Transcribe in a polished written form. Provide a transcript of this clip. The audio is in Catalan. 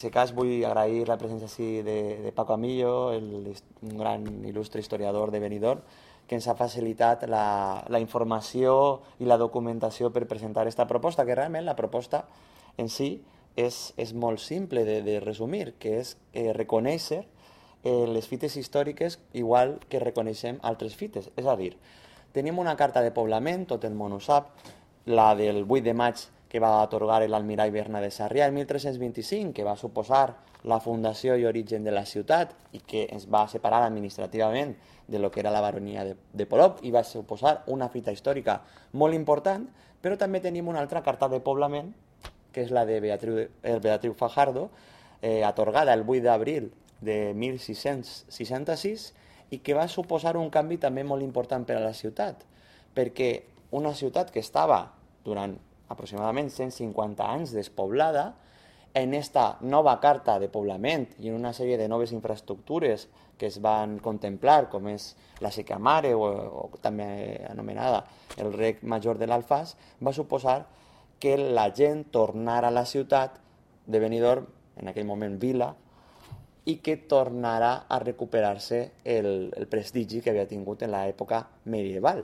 En aquest cas vull agrair la presència de Paco Amillo, un gran il·lustre historiador de Benidorm, que ens ha facilitat la informació i la documentació per presentar aquesta proposta, que realment la proposta en si és molt simple de resumir, que és reconèixer les fites històriques igual que reconeixem altres fites. És a dir, tenim una carta de poblament, tot el món ho sap, la del 8 de maig que va atorgar l'almirall Bernat de Sarrià el 1325, que va suposar la fundació i origen de la ciutat i que es va separar administrativament de lo que era la baronia de Polop i va suposar una fita històrica molt important, però també tenim una altra carta de poblament, que és la de Beatriu Fajardo, atorgada el 8 d'abril de 1666 i que va suposar un canvi també molt important per a la ciutat, perquè una ciutat que estava durant aproximadament 150 anys despoblada, en esta nova carta de poblament i en una sèrie de noves infraestructures que es van contemplar, com és la Seca Mare o també anomenada el Rec Major de l'Alfàs, va suposar que la gent tornara a la ciutat de Benidorm, en aquell moment vila, i que tornara a recuperar-se el prestigi que havia tingut en l'època medieval.